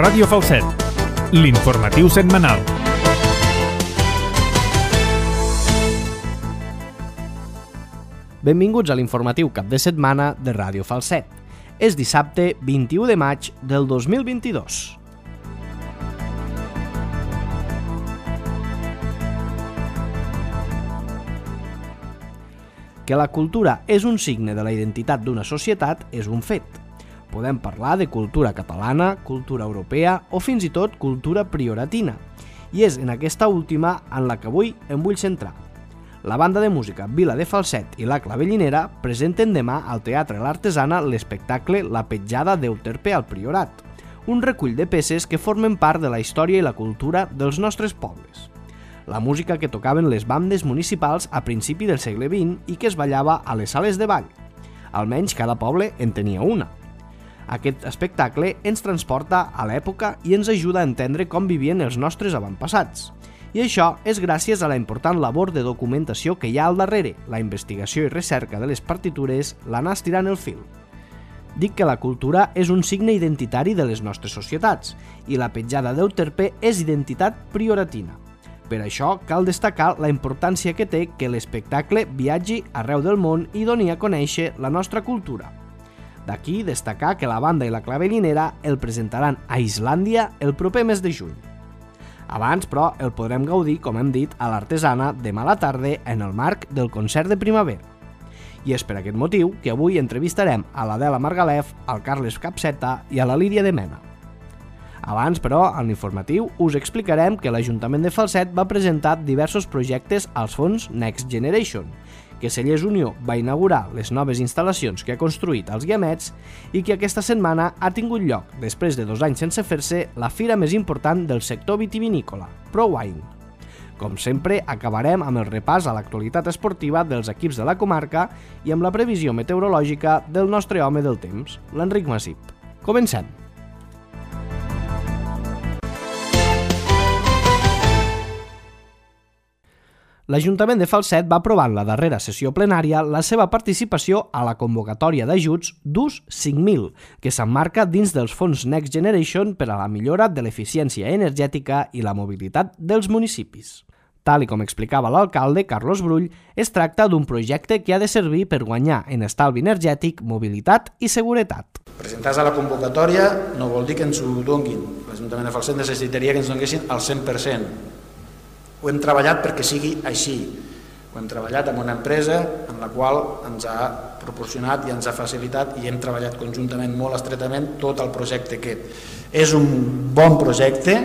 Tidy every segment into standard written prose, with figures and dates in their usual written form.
Ràdio Falset, l'informatiu setmanal. Benvinguts a l'informatiu cap de setmana de Ràdio Falset. És dissabte 21 de maig del 2022. Que la cultura és un signe de la identitat d'una societat és un fet. Podem parlar de cultura catalana, cultura europea o fins i tot cultura prioratina. I és en aquesta última en la que avui em vull centrar. La banda de música Vila de Falset i la Clavellinera presenten demà al Teatre l'Artesana l'espectacle La petjada d'Euterpe al Priorat, un recull de peces que formen part de la història i la cultura dels nostres pobles. La música que tocaven les bandes municipals a principi del segle XX i que es ballava a les sales de ball. Almenys cada poble en tenia una. Aquest espectacle ens transporta a l'època i ens ajuda a entendre com vivien els nostres avantpassats. I això és gràcies a la important labor de documentació que hi ha al darrere, la investigació i recerca de les partitures, l'anar estirant el fil. Dic que la cultura és un signe identitari de les nostres societats i la petjada d'Euterpe és identitat prioratina. Per això cal destacar la importància que té que l'espectacle viatgi arreu del món i doni a conèixer la nostra cultura. D'aquí destacar que la banda i la Clavellinera el presentaran a Islàndia el proper mes de juny. Abans, però, el podrem gaudir, com hem dit, a l'Artesana demà a la tarda en el marc del concert de primavera. I és per aquest motiu que avui entrevistarem a l'Adela Margalef, al Carles Capseta i a la Lídia de Mena. Abans, però, en l'informatiu us explicarem que l'Ajuntament de Falset va presentar diversos projectes als fons Next Generation, que Cellers Unió va inaugurar les noves instal·lacions que ha construït als Guiamets i que aquesta setmana ha tingut lloc, després de 2 anys sense fer-se, la fira més important del sector vitivinícola, ProWine. Com sempre, acabarem amb el repàs a l'actualitat esportiva dels equips de la comarca i amb la previsió meteorològica del nostre home del temps, l'Enric Massip. Comencem! L'Ajuntament de Falset va aprovar en la darrera sessió plenària la seva participació a la convocatòria d'ajuts d'ús 5.000, que s'emmarca dins dels fons Next Generation per a la millora de l'eficiència energètica i la mobilitat dels municipis. Tal i com explicava l'alcalde Carlos Brull, es tracta d'un projecte que ha de servir per guanyar en estalvi energètic, mobilitat i seguretat. Presentar-se a la convocatòria no vol dir que ens ho donguin. L'Ajuntament de Falset necessitaria que ens donguessin el 100%. Ho hem treballat perquè sigui així. Ho hem treballat amb una empresa en la qual ens ha proporcionat i ens ha facilitat i hem treballat conjuntament molt estretament tot el projecte aquest. És un bon projecte,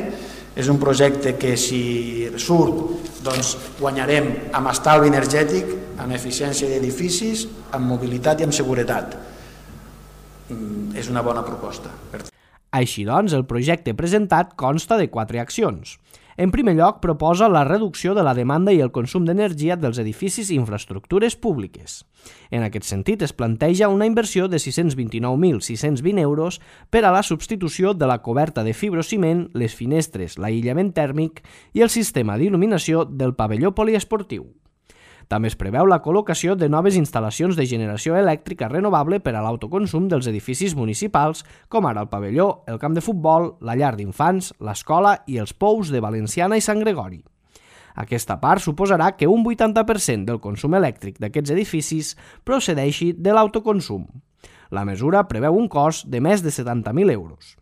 és un projecte que si surt doncs guanyarem amb estalvi energètic, amb eficiència d'edificis, amb mobilitat i amb seguretat. És una bona proposta. Així doncs, el projecte presentat consta de 4 accions. En primer lloc, proposa la reducció de la demanda i el consum d'energia dels edificis i infraestructures públiques. En aquest sentit, es planteja una inversió de 629.620 euros per a la substitució de la coberta de fibrociment, les finestres, l'aïllament tèrmic i el sistema d'il·luminació del pavelló poliesportiu. També es preveu la col·locació de noves instal·lacions de generació elèctrica renovable per a l'autoconsum dels edificis municipals, com ara el pavelló, el camp de futbol, la llar d'infants, l'escola i els pous de Valenciana i Sant Gregori. Aquesta part suposarà que un 80% del consum elèctric d'aquests edificis procedeixi de l'autoconsum. La mesura preveu un cost de més de 70.000 euros.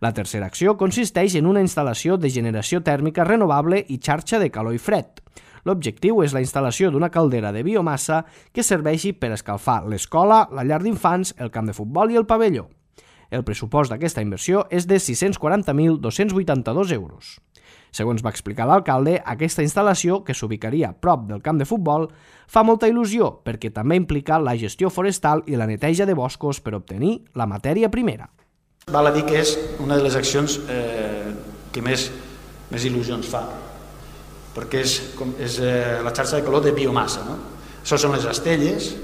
La tercera acció consisteix en una instal·lació de generació tèrmica renovable i xarxa de calor i fred. L'objectiu és la instal·lació d'una caldera de biomassa que serveixi per escalfar l'escola, la llar d'infants, el camp de futbol i el pavelló. El pressupost d'aquesta inversió és de 640.282 euros. Segons va explicar l'alcalde, aquesta instal·lació, que s'ubicaria prop del camp de futbol, fa molta il·lusió perquè també implica la gestió forestal i la neteja de boscos per obtenir la matèria primera. Val a dir que és una de les accions que més il·lusió ens fa, perquè és la xarxa de calor de biomassa. Això són les estelles.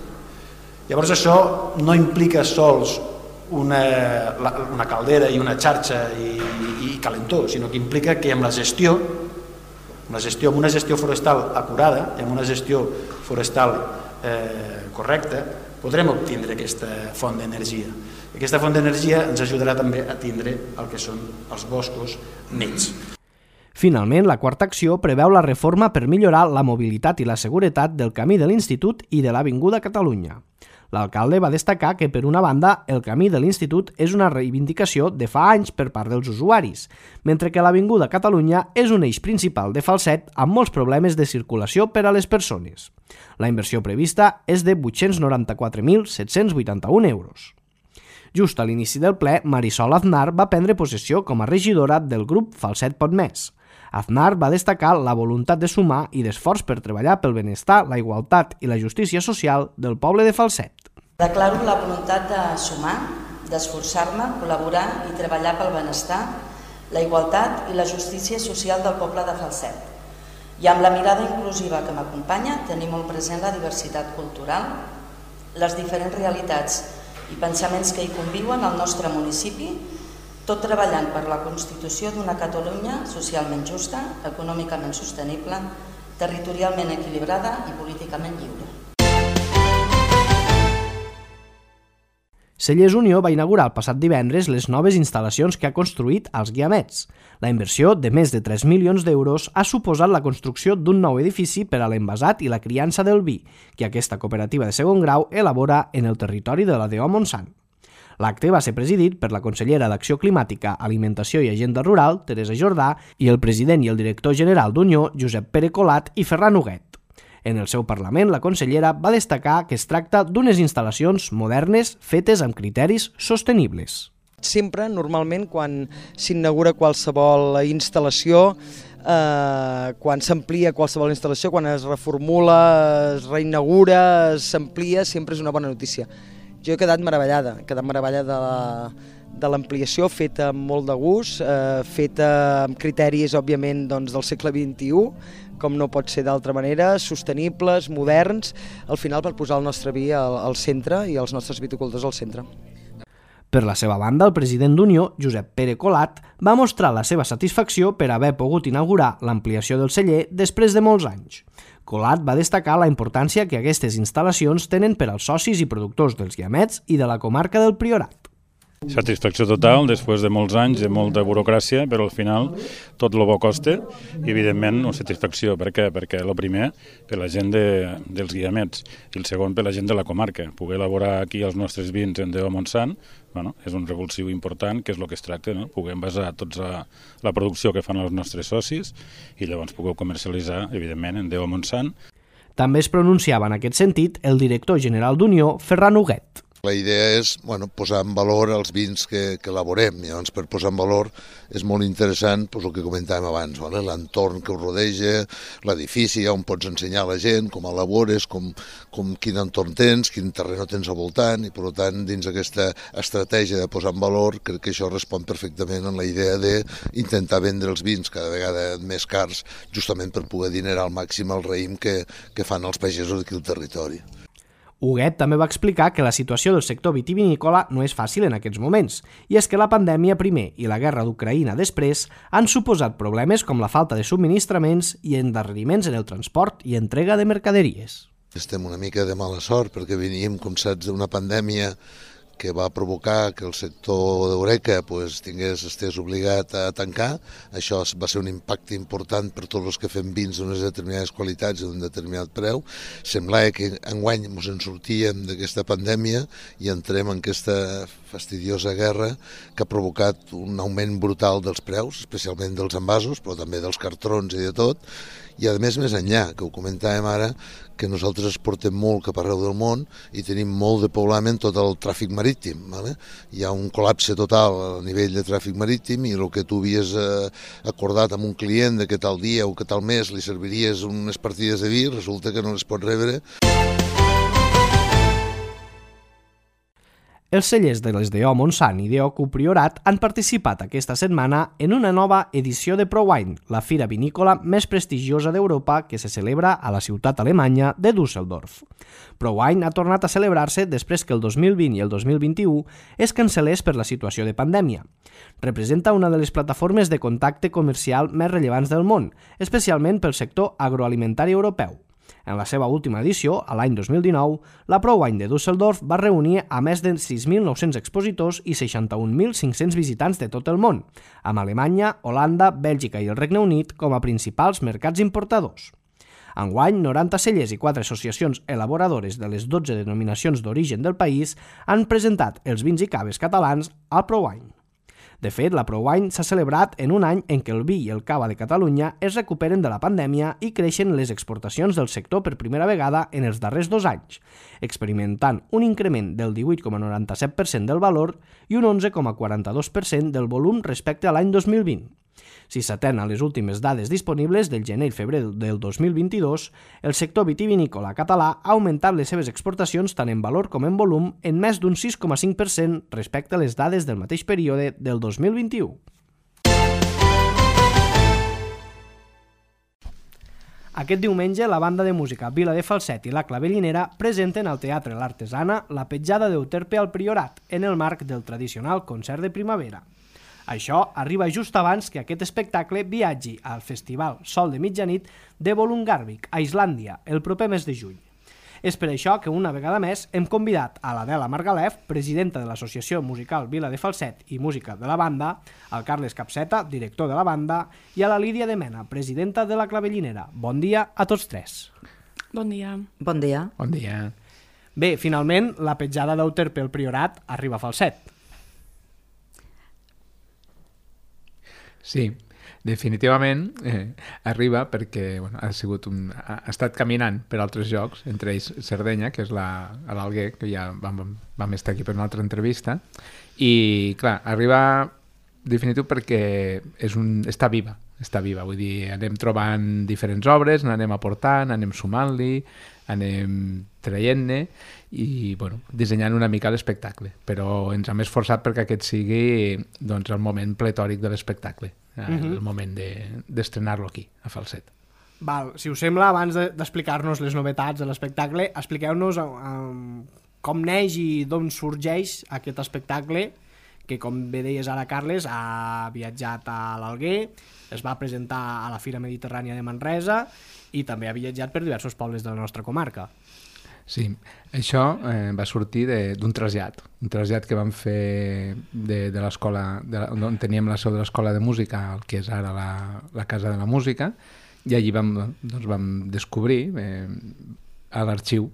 Llavors això no implica sols una caldera i una xarxa i calentó, sinó que implica que amb la gestió, amb una gestió forestal acurada i amb una gestió forestal correcta, podrem obtindre aquesta font d'energia. Aquesta font d'energia ens ajudarà també a tindre el que són els boscos nets. Finalment, la quarta acció preveu la reforma per millorar la mobilitat i la seguretat del camí de l'Institut i de l'Avinguda Catalunya. L'alcalde va destacar que, per una banda, el camí de l'Institut és una reivindicació de fa anys per part dels usuaris, mentre que l'Avinguda Catalunya és un eix principal de Falset amb molts problemes de circulació per a les persones. La inversió prevista és de 894.781 euros. Just a l'inici del ple, Marisol Aznar va prendre possessió com a regidora del grup Falset Pot Més. Aznar va destacar la voluntat de sumar i d'esforç per treballar pel benestar, la igualtat i la justícia social del poble de Falset. Declaro la voluntat de sumar, d'esforçar-me, col·laborar i treballar pel benestar, la igualtat i la justícia social del poble de Falset. I amb la mirada inclusiva que m'acompanya, tenir molt present la diversitat cultural, les diferents realitats i pensaments que hi conviuen al nostre municipi, tot treballant per la constitució d'una Catalunya socialment justa, econòmicament sostenible, territorialment equilibrada i políticament lliure. Cellers Unió va inaugurar el passat divendres les noves instal·lacions que ha construït als Guiamets. La inversió de més de 3 milions d'euros ha suposat la construcció d'un nou edifici per a l'envasat i la criança del vi, que aquesta cooperativa de segon grau elabora en el territori de la DO Montsant. L'acte va ser presidit per la consellera d'Acció Climàtica, Alimentació i Agenda Rural, Teresa Jordà, i el president i el director general d'Unió, Josep Pere Colat i Ferran Huguet. En el seu Parlament, la consellera va destacar que es tracta d'unes instal·lacions modernes fetes amb criteris sostenibles. Sempre, normalment, quan s'inaugura qualsevol instal·lació, quan s'amplia qualsevol instal·lació, quan es reformula, es reinaugura, s'amplia, sempre és una bona notícia. Jo he quedat meravellada de l'ampliació, feta amb molt de gust, feta amb criteris, òbviament, del segle XXI, com no pot ser d'altra manera, sostenibles, moderns, al final per posar el nostre vi al centre i els nostres viticultors al centre. Per la seva banda, el president d'Unió, Josep Pere Colat, va mostrar la seva satisfacció per haver pogut inaugurar l'ampliació del celler després de molts anys. Colat va destacar la importància que aquestes instal·lacions tenen per als socis i productors dels Guiamets i de la comarca del Priorat. Satisfacció total, després de molts anys, de molta burocràcia, però al final tot el bo costa i evidentment una satisfacció. Per què? Perquè el primer, per la gent dels Guiamets i el segon per la gent de la comarca. Poder elaborar aquí els nostres vins en DO Montsant és un revulsiu important, que és el que es tracta, poder envasar tota la producció que fan els nostres socis i llavors poder comercialitzar, evidentment, en DO Montsant. També es pronunciava en aquest sentit el director general d'Unió, Ferran Huguet. La idea és posar en valor els vins que elaborem. Llavors, per posar en valor és molt interessant el que comentàvem abans, l'entorn que ho rodeja, l'edifici, on pots ensenyar a la gent com elabores, quin entorn tens, quin terreny tens al voltant, i per tant, dins aquesta estratègia de posar en valor, crec que això respon perfectament a la idea d'intentar vendre els vins cada vegada més cars, justament per poder dinerar al màxim el raïm que fan els pagesos d'aquí al territori. Huguet també va explicar que la situació del sector vitivinícola no és fàcil en aquests moments, i és que la pandèmia primer i la guerra d'Ucraïna després han suposat problemes com la falta de subministraments i endarreriments en el transport i entrega de mercaderies. Estem una mica de mala sort perquè veníem, com saps, d'una pandèmia que va provocar que el sector d'Horeca estés obligat a tancar. Això va ser un impacte important per tots els que fem vins d'unes determinades qualitats i d'un determinat preu. Semblava que enguany ens en sortíem d'aquesta pandèmia i entrem en aquesta fastidiosa guerra que ha provocat un augment brutal dels preus, especialment dels envasos, però també dels cartrons i de tot. I a més enllà, que ho comentàvem ara, que nosaltres exportem molt cap arreu del món i tenim molt de poblament tot el tràfic marítim. Hi ha un col·lapse total a nivell de tràfic marítim i el que tu havies acordat amb un client de que tal dia o que tal mes li serviries unes partides de vi, resulta que no les pot rebre. Els cellers de les DO Montsant i DO Priorat han participat aquesta setmana en una nova edició de ProWine, la fira vinícola més prestigiosa d'Europa que se celebra a la ciutat alemanya de Düsseldorf. ProWine ha tornat a celebrar-se després que el 2020 i el 2021 es cancel·lés per la situació de pandèmia. Representa una de les plataformes de contacte comercial més rellevants del món, especialment pel sector agroalimentari europeu. En la seva última edició, a l'any 2019, la ProWine de Düsseldorf va reunir a més de 6.900 expositors i 61.500 visitants de tot el món, amb Alemanya, Holanda, Bèlgica i el Regne Unit com a principals mercats importadors. Enguany, 90 cellers i 4 associacions elaboradores de les 12 denominacions d'origen del país han presentat els vins i caves catalans al ProWine. De fet, la ProWine s'ha celebrat en un any en què el vi i el cava de Catalunya es recuperen de la pandèmia i creixen les exportacions del sector per primera vegada en els darrers 2 anys, experimentant un increment del 18,97% del valor i un 11,42% del volum respecte a l'any 2020. Si s'atén a les últimes dades disponibles del gener i febrer del 2022, el sector vitivinícola català ha augmentat les seves exportacions tant en valor com en volum en més d'un 6,5% respecte a les dades del mateix període del 2021. Aquest diumenge, la banda de música Vila de Falset i la Clavellinera presenten al Teatre l'Artesana la petjada d'Euterpe al Priorat en el marc del tradicional concert de primavera. Això arriba just abans que aquest espectacle viatgi al Festival Sol de Mitjanit de Volungarvik, a Islàndia, el proper mes de juny. És per això que una vegada més hem convidat a l'Adela Margalef, presidenta de l'Associació Musical Vila de Falset i música de la banda, al Carles Capseta, director de la banda, i a la Lídia de Mena, presidenta de la Clavellinera. Bon dia a tots tres. Bon dia. Bon dia. Bon dia. Bé, finalment, la petjada d'Euterpe al Priorat arriba a Falset. Sí, definitivament arriba perquè ha estat caminant per altres llocs, entre ells Sardenya, que és a l'Alguer, que ja vam estar aquí per una altra entrevista, i clar, arriba definitiu perquè està viva, vull dir, anem trobant diferents obres, n'anem aportant, anem sumant-li, anem traient-ne i dissenyant una mica l'espectacle, però ens hem esforçat perquè aquest sigui el moment pletòric de l'espectacle, el moment d'estrenar-lo aquí, a Falset. Val, si us sembla, abans d'explicar-nos les novetats de l'espectacle, expliqueu-nos com neix i d'on sorgeix aquest espectacle que, com bé deies ara, Carles, ha viatjat a l'Alguer, es va presentar a la Fira Mediterrània de Manresa i també ha viatjat per diversos pobles de la nostra comarca. Sí, això va sortir d'un trasllat que vam fer de l'escola, on teníem la seu de l'escola de música, el que és ara la Casa de la Música, i allí vam descobrir a l'arxiu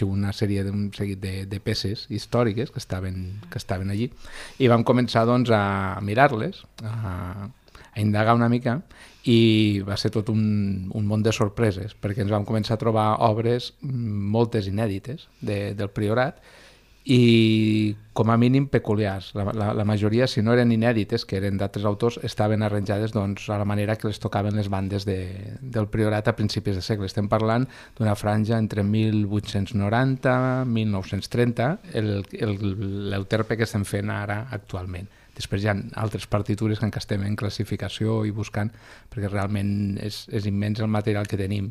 un seguit de peces històriques que estaven allí, i vam començar a mirar-les, a indagar una mica, i va ser tot un món de sorpreses, perquè ens vam començar a trobar obres, moltes inèdites, del Priorat, i com a mínim peculiars. La majoria, si no eren inèdites, que eren d'altres autors, estaven arranjades a la manera que les tocaven les bandes del Priorat a principis de segle. Estem parlant d'una franja entre 1890 i 1930, l'Euterpe que estem fent ara actualment. Després hi ha altres partitures que encara estem en classificació i buscant, perquè realment és immens el material que tenim.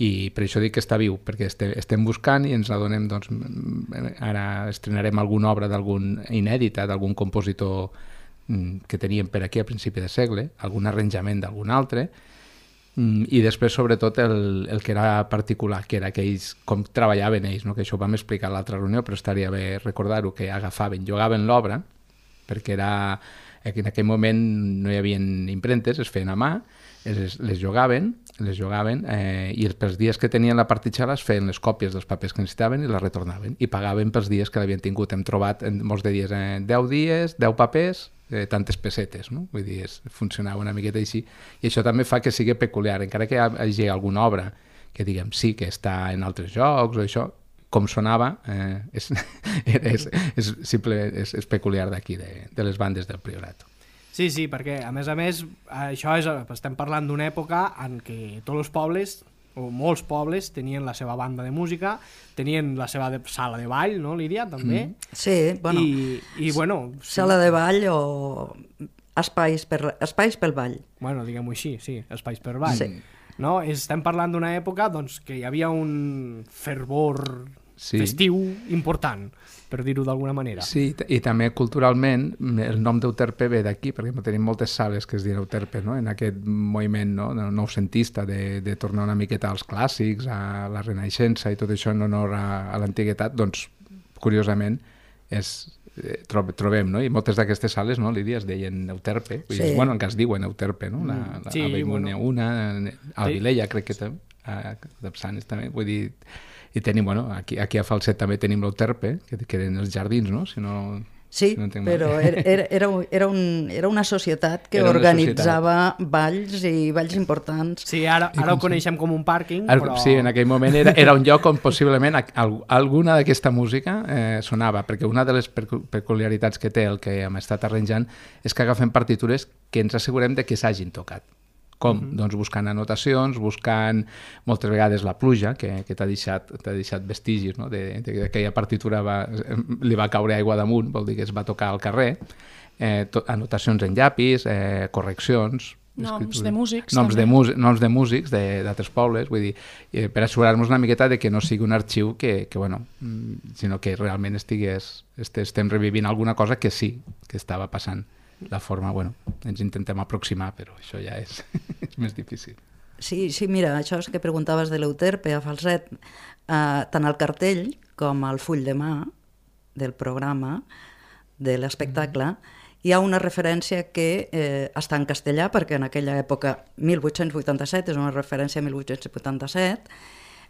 I per això dic que està viu, perquè estem buscant i ens adonem, ara estrenarem alguna obra inèdita d'algun compositor que teníem per aquí a principi de segle, algun arranjament d'algun altre, i després sobretot el que era particular, que era que ells, com treballaven ells, que això ho vam explicar a l'altra reunió, però estaria bé recordar-ho, que jugaven l'obra, perquè en aquell moment no hi havia impremtes, es feien a mà, les jugaven i pels dies que tenien la partitxala es feien les còpies dels papers que necessitaven i les retornaven i pagaven pels dies que l'havien tingut. Hem trobat molts de dies, 10 dies, 10 papers, tantes pessetes, no? Vull dir, funcionava una miqueta així, i això també fa que sigui peculiar, encara que hi hagi alguna obra que diguem sí que està en altres jocs o això, com sonava, és peculiar d'aquí, de les bandes del Priorat. Sí, perquè a més, estem parlant d'una època en què tots els pobles, o molts pobles, tenien la seva banda de música, tenien la seva sala de ball, no, Lídia, també? Sí, sala de ball o espais pel ball. Bueno, diguem-ho així, sí, espais per ball. Sí. No? Estem parlant d'una època que hi havia un fervor festiu important, per dir-ho d'alguna manera. Sí, i també culturalment el nom d'Euterpe ve d'aquí, perquè tenim moltes sales que es diuen Euterpe, no? En aquest moviment noucentista de tornar una miqueta als clàssics, a la Renaixença i tot això en honor a l'antiguitat, doncs, curiosament, trobem, no? I moltes d'aquestes sales, no, Lídia, es deien Euterpe, bueno, encara es diuen Euterpe, no? A Vallmúnia una, a Vilella crec que també, a Dapsanes també, vull dir, i tenim, bueno, aquí a Falset també tenim l'Euterpe, que eren els jardins, no? Sí, però era una societat que organitzava balls i balls importants. Sí, ara ho coneixem com un pàrquing, però... Sí, en aquell moment era un lloc on possiblement alguna d'aquesta música sonava, perquè una de les peculiaritats que té el que hem estat arranjant és que agafem partitures que ens assegurem de que s'hagin tocat. Com? Doncs buscant anotacions, buscant moltes vegades la pluja, que t'ha deixat vestigis, no? D'aquella partitura li va caure aigua damunt, vol dir que es va tocar al carrer, anotacions en llapis, correccions... Noms de músics. Noms de músics d'altres pobles, vull dir, per assegurar-nos una miqueta de que no sigui un arxiu sinó que realment estem revivint alguna cosa que sí, que estava passant. La forma, ens intentem aproximar, però això ja és més difícil. Sí, mira, això és que preguntaves de l'Euterpe a Falset, tant al cartell com al full de mà del programa, de l'espectacle, hi ha una referència que està en castellà, perquè en aquella època, 1887, és una referència a 1887,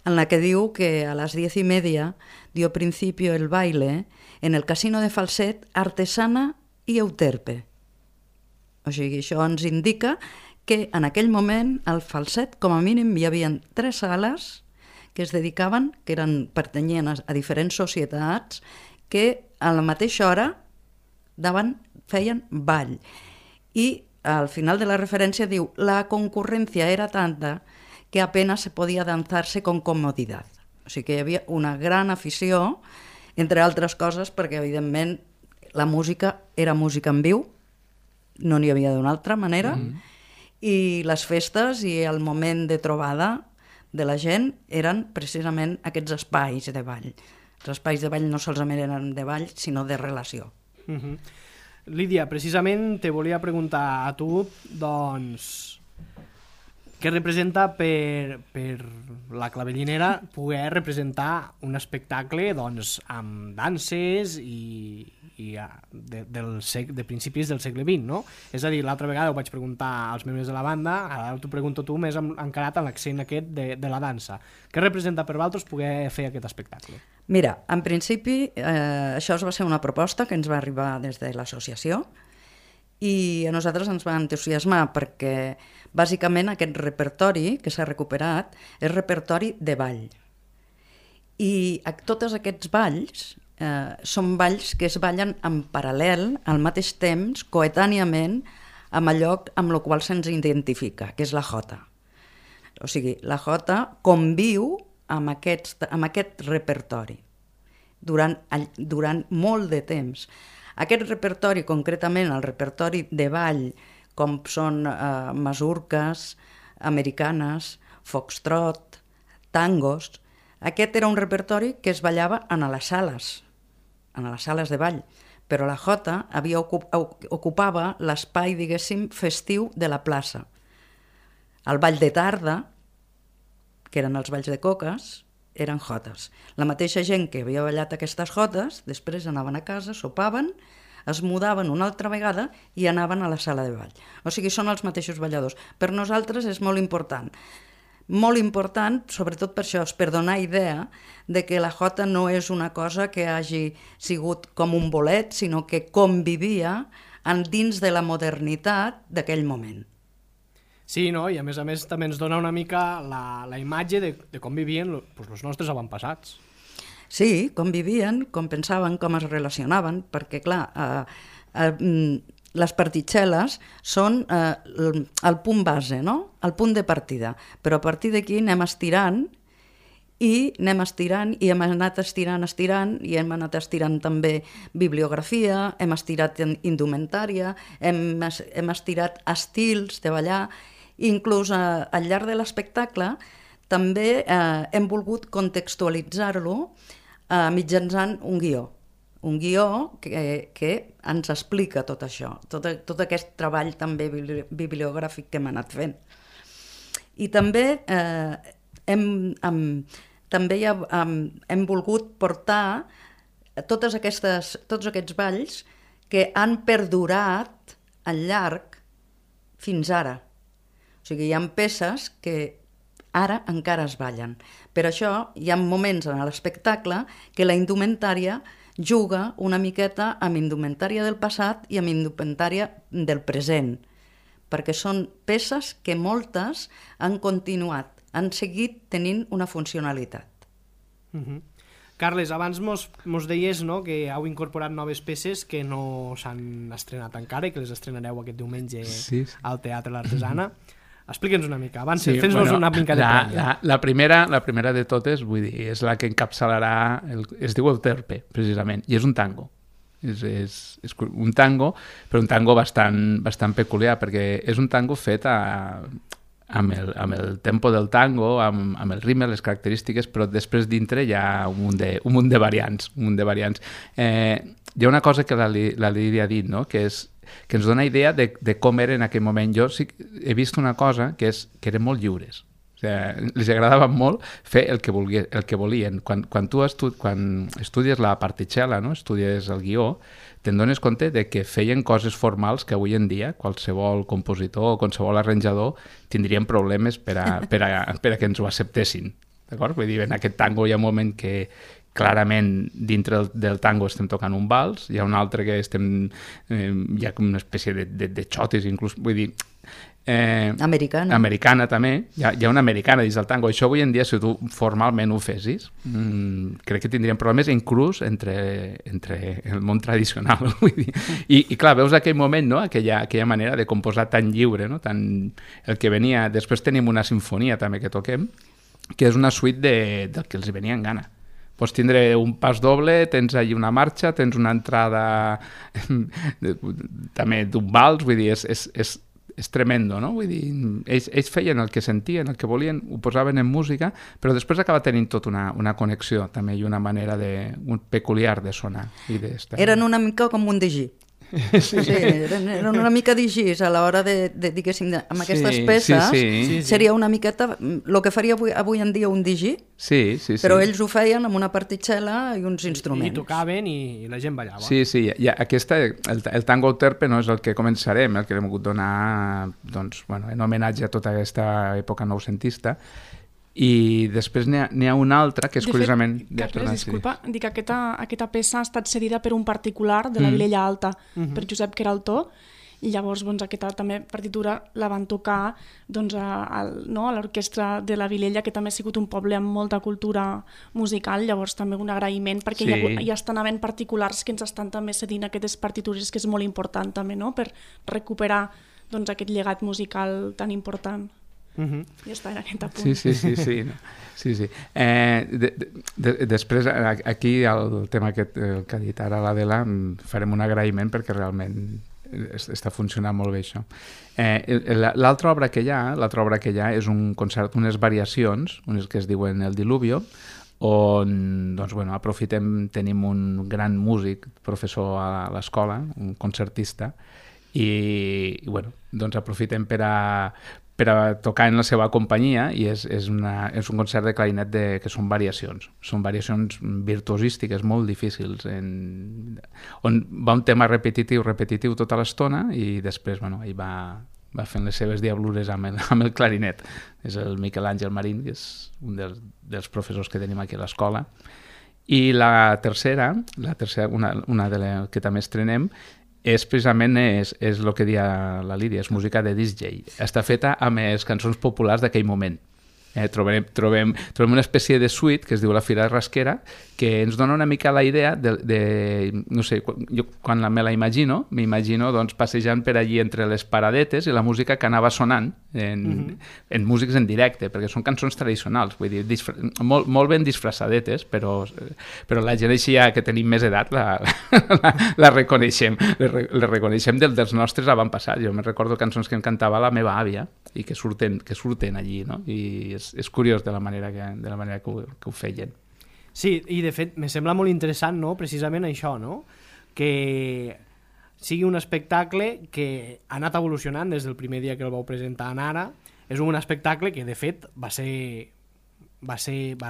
en la que diu que a las 10:30 dio principio el baile en el casino de Falset, Artesana i Euterpe. O sigui, això ens indica que en aquell moment al Falset, com a mínim, hi havia 3 sales que es dedicaven, que pertanyien a diferents societats, que a la mateixa hora feien ball. I al final de la referència diu la concurrencia era tanta que apenas se podía danzarse con comodidad. O sigui que hi havia una gran afició, entre altres coses, perquè evidentment la música era música en viu, no n'hi havia d'una altra manera, i les festes i el moment de trobada de la gent eren precisament aquests espais de ball. Els espais de ball no solament eren de ball, sinó de relació. Lídia, precisament te volia preguntar a tu, doncs, què representa per la clavellinera poder representar un espectacle amb danses i de principis del segle XX, no? És a dir, l'altra vegada ho vaig preguntar als membres de la banda, ara t'ho pregunto tu més encarat en l'accent aquest de la dansa. Què representa per vosaltres poder fer aquest espectacle? Mira, en principi això va ser una proposta que ens va arribar des de l'associació i a nosaltres ens va entusiasmar perquè bàsicament aquest repertori que s'ha recuperat és repertori de ball. I tots aquests balls són balls que es ballen en paral·lel, al mateix temps, coetàniament, amb allò amb el qual se'ns identifica, que és la jota. O sigui, la jota conviu amb aquest repertori durant molt de temps. Aquest repertori, concretament el repertori de ball, com són masurques, americanes, foxtrot, tangos, aquest era un repertori que es ballava en les sales de ball, però la jota ocupava l'espai, diguéssim, festiu de la plaça. El ball de tarda, que eren els balls de coques, eren jotes. La mateixa gent que havia ballat aquestes jotes, després anaven a casa, sopaven, es mudaven una altra vegada i anaven a la sala de ball. O sigui, són els mateixos balladors. Per nosaltres és molt important, sobretot per això, per donar idea de que la jota no és una cosa que hagi sigut com un bolet, sinó que convivia dins de la modernitat d'aquell moment. Sí, no? I a més també ens dona una mica la imatge de com vivien els nostres avantpassats. Sí, com vivien, com pensaven, com es relacionaven, perquè clar, les partitxeles són el punt base, no? El punt de partida, però a partir d'aquí anem estirant i hem anat estirant i hem anat estirant també bibliografia, hem estirat indumentària, hem estirat estils de ballar, inclús al llarg de l'espectacle també hem volgut contextualitzar-lo mitjançant un guió. Un guió que ens explica tot això, tot aquest treball també bibliogràfic que hem anat fent. I també hem volgut portar tots aquests balls que han perdurat al llarg fins ara. O sigui, hi ha peces que ara encara es ballen. Per això hi ha moments en l'espectacle que la indumentària juga una miqueta amb indumentària del passat i amb indumentària del present, perquè són peces que moltes han continuat, han seguit tenint una funcionalitat. Carles, abans mos deies, no, que heu incorporat noves peces que no s'han estrenat encara i que les estrenareu aquest diumenge al Teatre l'Artesana. Explica'ns una mica, abans fes-nos una mica de prèvia. La primera de totes, vull dir, és la que encapçalarà, es diu Euterpe, precisament, i és un tango. És un tango, però un tango bastant peculiar, perquè és un tango fet amb el tempo del tango, amb el ritme, les característiques, però després dintre hi ha un munt de variants. Hi ha una cosa que la Lídia ha dit, no?, que ens dona idea de com era en aquell moment. Jo sí he vist una cosa, que eren molt lliures. O sigui, els agradava molt fer el que volien. Quan tu estudies la particella, no? Estudies el guió, te'n dones compte de que feien coses formals que avui en dia qualsevol compositor o qualsevol arranjador tindrien problemes per a que ens ho acceptessin. D'acord? Vull dir, en aquest tango hi ha un moment que clarament dintre del tango estem tocant un vals, hi ha un altre que hi ha una espècie de xotis inclús, vull dir, americana també, hi ha una americana dins del tango. Això avui en dia, si tu formalment ho fessis, crec que tindríem problemes inclús entre el món tradicional, vull dir. I clar, veus aquell moment, no?, aquella manera de composar tan lliure, no?, el que venia. Després tenim una sinfonia també que toquem, que és una suite del que els venia en gana. Pots tindre un pas doble, tens allà una marxa, tens una entrada també d'un vals, vull dir, és tremendo, no? Vull dir, ells feien el que sentien, el que volien, ho posaven en música, però després acaba tenint tota una connexió també i una manera peculiar de sonar i d'estar. Eren una mica com un digí. Sí, eren una mica digís a l'hora diguéssim, amb aquestes peces, seria una miqueta el que faria avui en dia un digí, però ells ho feien amb una particella i uns instruments. I tocaven i la gent ballava. Sí, el tango Euterpe no és el que començarem, el que hem volgut donar en homenatge a tota aquesta època noucentista. I després n'hi ha una altra que és curiosament... Carles, disculpa, dic que aquesta peça ha estat cedida per un particular de la Vilella Alta, per Josep Queraltó, i llavors aquesta també partitura la van tocar a l'orquestra de la Vilella, que també ha sigut un poble amb molta cultura musical, llavors també un agraïment, perquè ja estan havent particulars que ens estan també cedint aquestes partitures, que és molt important també, no?, per recuperar aquest llegat musical tan important. Ja està en aquest apunt. Sí. Després, aquí el tema que ha dit ara l'Adela, farem un agraïment perquè realment està funcionant molt bé això. L'altra obra que hi ha és un concert, unes variacions, unes que es diuen El Diluvio, on aprofitem, tenim un gran músic, professor a l'escola, un concertista, i aprofitem per a tocar en la seva companyia, i és un concert de clarinet que són variacions virtuosístiques molt difícils, on va un tema repetitiu tota l'estona, i després ell va fent les seves diablures amb el clarinet. És el Miquel Àngel Marín, que és un dels professors que tenim aquí a l'escola. I la tercera, una de les que també estrenem, és precisament és el que deia la Lídia, és música de disc jockey. Està feta amb les cançons populars d'aquell moment. Trobem una espècie de suite que es diu La Fira de Rasquera, que ens dona una mica la idea no sé, jo quan me la imagino, m'imagino passejant per allí entre les paradetes i la música que anava sonant en músics en directe, perquè són cançons tradicionals, vull dir, molt ben disfressadetes, però la gent així que tenim més edat la reconeixem, les reconeixem dels nostres avantpassats. Jo me'n recordo cançons que em cantava la meva àvia i que surten allí, no? I és curiós de la manera que ho feien. Sí, i de fet me sembla molt interessant, no?, precisament això, no?, que sigui un espectacle que ha anat evolucionant des del primer dia que el vau presentar en Ara. És un espectacle que de fet va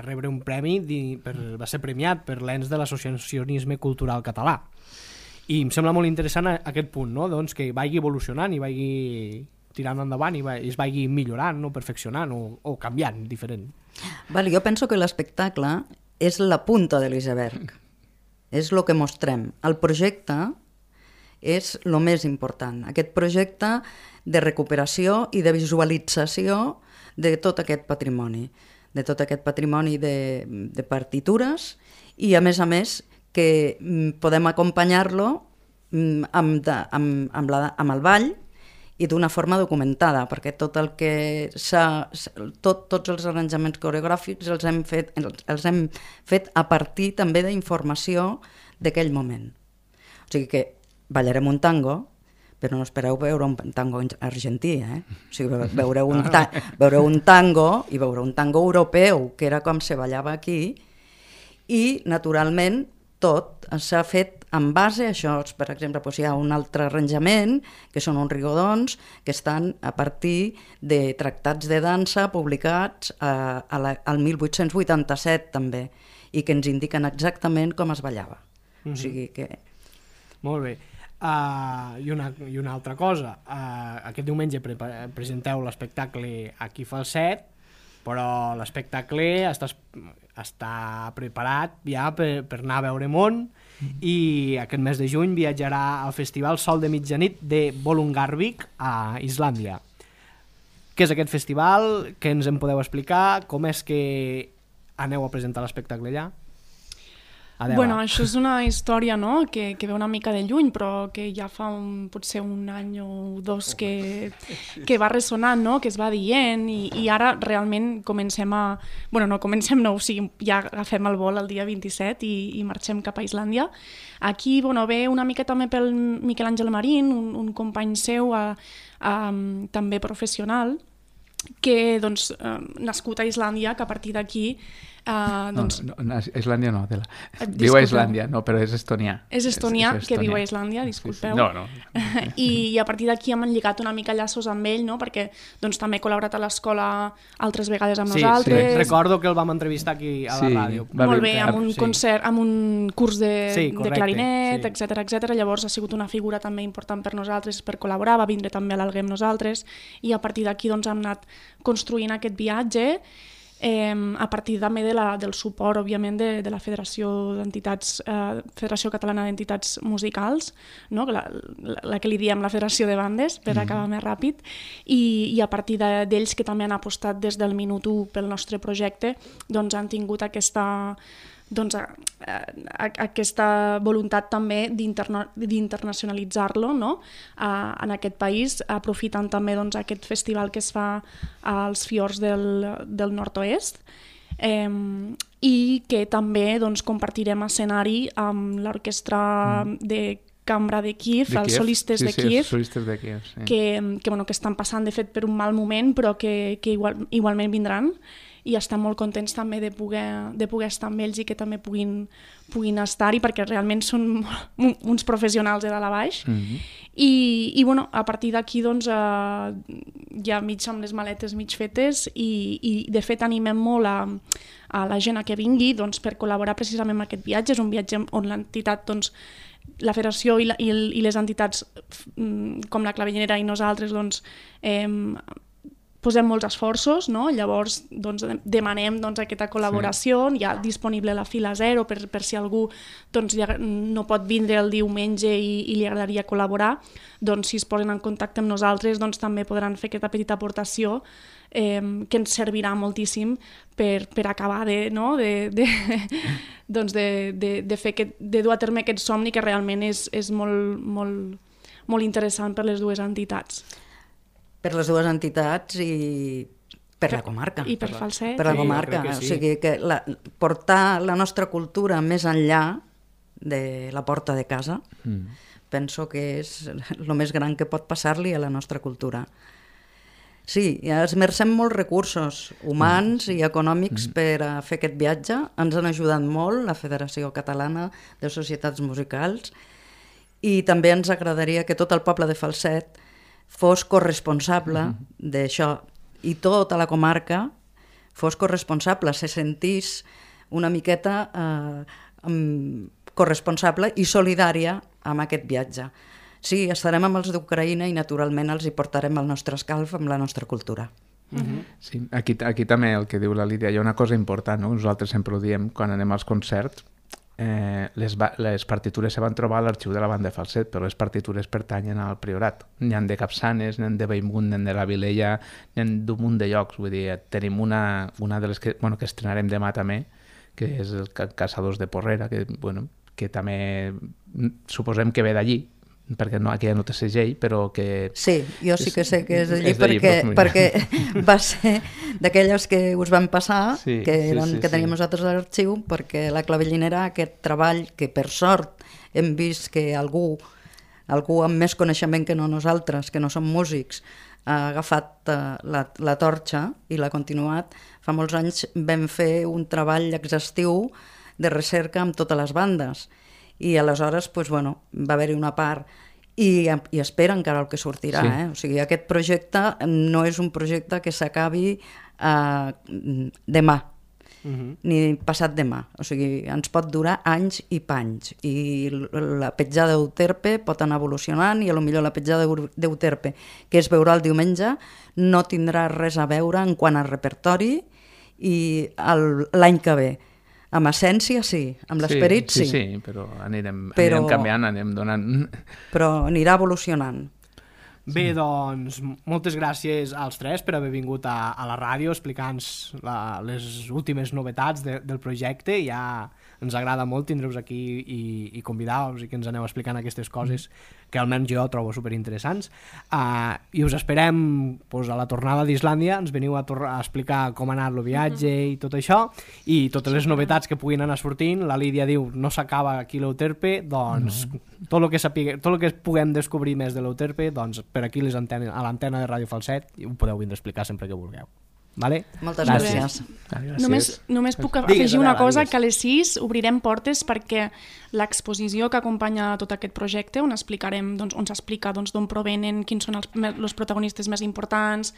rebre un premi, va ser premiat per l'ENS de l'Associacionisme Cultural Català. I em sembla molt interessant aquest punt, no?, doncs que vagi evolucionant i vagi tirant endavant i es vagi millorant, no?, perfeccionant o canviant, diferent. Vale, jo penso que l'espectacle és la punta de l'iceberg. És el que mostrem. El projecte és el més important. Aquest projecte de recuperació i de visualització de tot aquest patrimoni. De tot aquest patrimoni de partitures i, a més, que podem acompanyar-lo amb el ball i d'una forma documentada, perquè tot el que tots els arranjaments coreogràfics els hem fet a partir també d'informació d'aquell moment. O sigui que ballarem un tango, però no espereu veure un tango argentí, O sigui, veureu un tango i veureu un tango europeu, que era com se ballava aquí, i naturalment tot s'ha fet en base a això. Per exemple, hi ha un altre arranjament, que són uns rigodons, que estan a partir de tractats de dansa publicats al 1887 també, i que ens indiquen exactament com es ballava. O sigui que... Molt bé. I una altra cosa, aquest diumenge presenteu l'espectacle Aquí Falset, però l'espectacle està preparat ja per anar a veure món, i aquest mes de juny viatjarà al Festival Sol de Mitjanit de Bolungarvík a Islàndia. Què és aquest festival? Què ens en podeu explicar? Com és que aneu a presentar l'espectacle allà? Bueno, això és una història, no?, que ve una mica de lluny, però que ja fa potser un any o dos que va ressonant, no?, que es va dient, i ara realment comencem a... Bueno, no comencem, no, o sigui, ja agafem el vol el dia 27 i marxem cap a Islàndia. Aquí, bueno, ve una mica també pel Miquel Àngel Marín, un company seu també professional, que, doncs, nascut a Islàndia, que a partir d'aquí... Islàndia no, viu a Islàndia, no, però és estonià. És estonià, que viu a Islàndia, disculpeu. No. I a partir d'aquí hem lligat una mica llaços amb ell, no?, perquè doncs, també ha col·laborat a l'escola altres vegades amb nosaltres. Sí, recordo que el vam entrevistar aquí a la ràdio. Molt bé, amb un concert, amb un curs de clarinet, etc. Llavors ha sigut una figura també important per nosaltres, per col·laborar, va vindre també a l'Alguer amb nosaltres, i a partir d'aquí doncs, hem anat construint aquest viatge, a partir també del suport, òbviament, de la Federació Catalana d'Entitats Musicals, no?, la que li diem la Federació de Bandes, per acabar més ràpid, i a partir d'ells, que també han apostat des del minut 1 pel nostre projecte, doncs han tingut aquesta voluntat també d'internacionalitzar-lo, no?, en aquest país, aprofitant també doncs, aquest festival que es fa als fiords del nord-oest, i que també doncs, compartirem escenari amb l'orquestra de cambra de Kíev, els solistes de Kíev, que estan passant de fet per un mal moment, però que igualment vindran, i estem molt contents també de poder estar amb ells i que també puguin estar-hi, perquè realment són uns professionals de dalt a baix. I bueno, a partir d'aquí doncs, ja mig amb les maletes mig fetes, i de fet animem molt a la gent a que vingui doncs, per col·laborar precisament amb aquest viatge. És un viatge on l'entitat, doncs, la federació i les entitats com la Clavellinera i nosaltres doncs, posem molts esforços, no? Llavors doncs, demanem doncs, aquesta col·laboració, ja disponible la fila 0 per si algú doncs, no pot vindre el diumenge i li agradaria col·laborar, doncs si es posen en contacte amb nosaltres doncs, també podran fer aquesta petita aportació que ens servirà moltíssim per acabar de dur a terme aquest somni que realment és molt interessant per les dues entitats. Per les dues entitats i per la comarca. I per Falset. Per la comarca. O sigui que portar la nostra cultura més enllà de la porta de casa, penso que és el més gran que pot passar-li a la nostra cultura. Sí, esmercem molts recursos humans i econòmics per a fer aquest viatge. Ens han ajudat molt la Federació Catalana de Societats Musicals i també ens agradaria que tot el poble de Falset fos corresponsable d'això i tota la comarca fos corresponsable, se sentís una miqueta corresponsable i solidària amb aquest viatge. Sí, estarem amb els d'Ucraïna i naturalment els hi portarem el nostre escalf amb la nostra cultura. Sí, aquí també el que diu la Lídia, hi ha una cosa important, no? Nosaltres sempre ho diem quan anem als concerts, les partitures se van trobar a l'arxiu de la banda de Falset, però les partitures pertanyen al Priorat. N'hi ha de Capçanes, n'hi ha de Bellmunt, n'hi ha de la Vilella, n'hi ha d'un munt de llocs. Vull dir, tenim una de les que estrenarem demà també, que és el Caçadors de Porrera, que també suposem que ve d'allí, perquè aquella no té segell, però que... Sí, jo sí que sé que és d'allí perquè va ser d'aquelles que us van passar, que teníem nosaltres a l'arxiu, perquè la Clavellinera, aquest treball que per sort hem vist que algú amb més coneixement que no nosaltres, que no som músics, ha agafat la torxa i l'ha continuat. Fa molts anys vam fer un treball exhaustiu de recerca amb totes les bandes i aleshores va haver-hi una part i espera encara el que sortirà. O sigui, aquest projecte no és un projecte que s'acabi demà ni passat demà, o sigui, ens pot durar anys i panys i la petjada d'Euterpe pot anar evolucionant i potser la petjada d'Euterpe que es veurà el diumenge no tindrà res a veure en quant a repertori i l'any que ve. Amb essència sí, amb l'esperit sí. Sí, però anirem canviant, anem donant... Però anirà evolucionant. Bé, doncs, moltes gràcies als tres per haver vingut a la ràdio explicant-nos les últimes novetats del projecte. Ja ens agrada molt tindre-vos aquí i convidar-vos i que ens aneu explicant aquestes coses que almenys jo trobo superinteressants. I us esperem a la tornada d'Islàndia, ens veniu a explicar com ha anat el viatge i tot això, i totes les novetats que puguin anar sortint. La Lídia diu, no s'acaba aquí l'Euterpe, doncs tot el que puguem descobrir més de l'Euterpe, doncs per aquí a l'antena de Ràdio Falset ho podeu vindre a explicar sempre que vulgueu. Vale? Moltes gràcies. Només puc afegir una cosa, que a les 6 obrirem portes perquè l'exposició que acompanya tot aquest projecte, on s'explica d'on provenen, quins són els protagonistes més importants,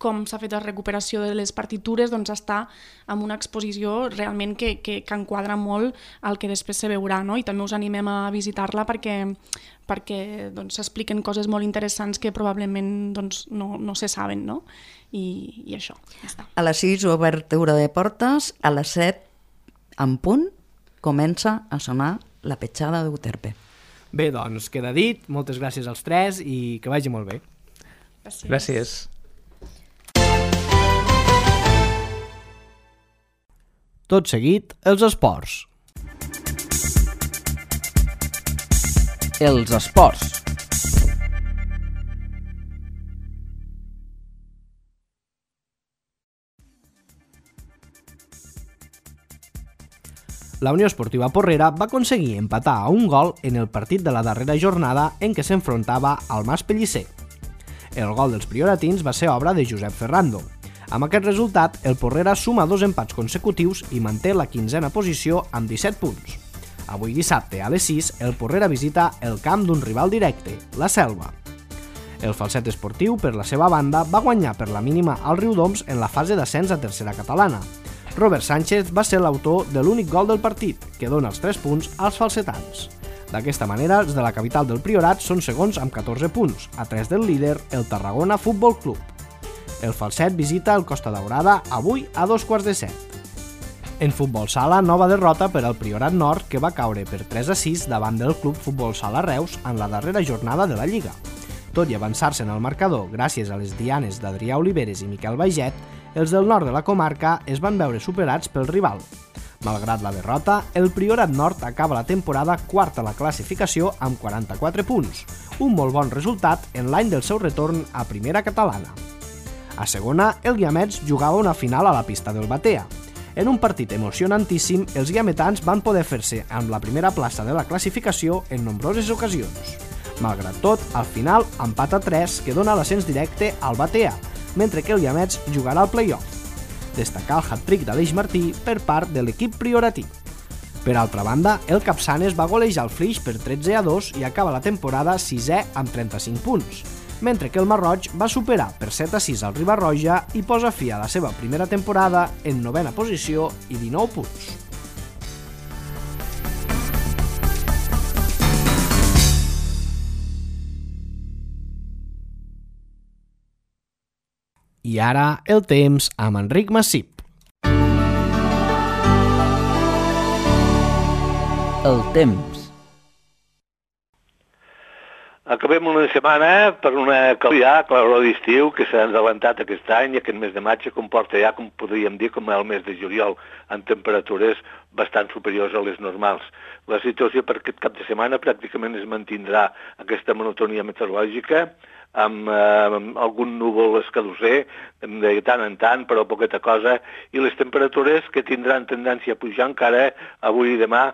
com s'ha fet la recuperació de les partitures, doncs està en una exposició realment que enquadra molt el que després se veurà, no? I també us animem a visitar-la perquè s'expliquen coses molt interessants que probablement no se saben, no? I això, ja està. A les 6 obertura de portes, a les 7 en punt comença a sonar la petjada d'Euterpe. Bé, doncs queda dit, moltes gràcies als tres i que vagi molt bé. Gràcies. Tot seguit, els esports. Els esports. La Unió Esportiva Porrera va aconseguir empatar a un gol en el partit de la darrera jornada en què s'enfrontava al Mas Pellicer. El gol dels prioratins va ser obra de Josep Ferrando. Amb aquest resultat, el Porrera suma 2 empats consecutius i manté la 15a posició amb 17 punts. Avui dissabte, a les 6, el Porrera visita el camp d'un rival directe, la Selva. El Falset Esportiu, per la seva banda, va guanyar per la mínima al Riudoms en la fase d'ascens a tercera catalana. Robert Sánchez va ser l'autor de l'únic gol del partit, que dona els 3 punts als falsetans. D'aquesta manera, els de la capital del Priorat són segons amb 14 punts, a 3 del líder, el Tarragona Futbol Club. El Falset visita el Costa Daurada avui a 2:15. En futbol sala, nova derrota per al Priorat Nord, que va caure per 3-6 davant del Club Futbol Sala Reus en la darrera jornada de la Lliga. Tot i avançar-se en el marcador gràcies a les dianes d'Adrià Oliveres i Miquel Baiget, els del nord de la comarca es van veure superats pel rival. Malgrat la derrota, el Priorat Nord acaba la temporada quart a la classificació amb 44 punts, un molt bon resultat en l'any del seu retorn a primera catalana. A segona, el Guiamets jugava una final a la pista del Batea. En un partit emocionantíssim, els guiametans van poder fer-se amb la primera plaça de la classificació en nombroses ocasions. Malgrat tot, al final, empat a 3 que dona l'ascens directe al Batea, mentre que el Guiamets jugarà al play-off. Destacar el hat-trick d'Aleix Martí per part de l'equip prioratí. Per altra banda, el Capçanes va golejar el Flix per 13-2 i acaba la temporada 6è amb 35 punts, mentre que el Marroig va superar per 7-6 al Riba-roja i posa fi a la seva primera temporada en 9ª posició i 19 punts. I ara el temps amb Enric Massip. El temps. Acabem una setmana per una claror d'estiu que s'ha adelantat aquest any i aquest mes de maig comporta ja, com podríem dir, com el mes de juliol, amb temperatures bastant superiors a les normals. La situació per aquest cap de setmana pràcticament es mantindrà aquesta monotonia meteorològica, amb algun núvol escadusser de tant en tant, però poqueta cosa, i les temperatures que tindran tendència a pujar encara avui i demà,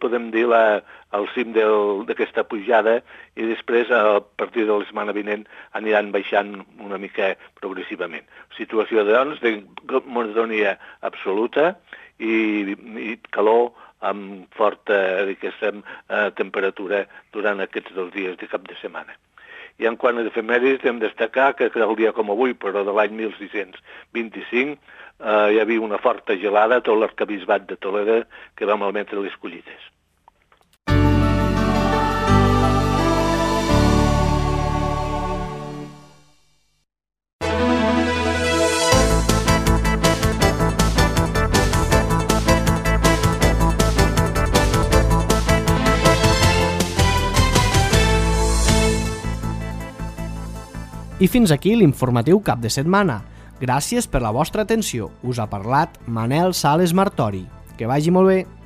podem dir el cim d'aquesta pujada, i després a partir de la setmana vinent aniran baixant una mica progressivament. Situació doncs de monotonia absoluta i calor amb forta temperatura durant aquests 2 dies de cap de setmana. I en quant a efemèrides, hem de destacar que el dia com avui, però de l'any 1625, hi havia una forta gelada a tot l'arquebisbat de Toledo que va malmetre les collites. I fins aquí l'informatiu cap de setmana. Gràcies per la vostra atenció. Us ha parlat Manel Sales Martori. Que vagi molt bé.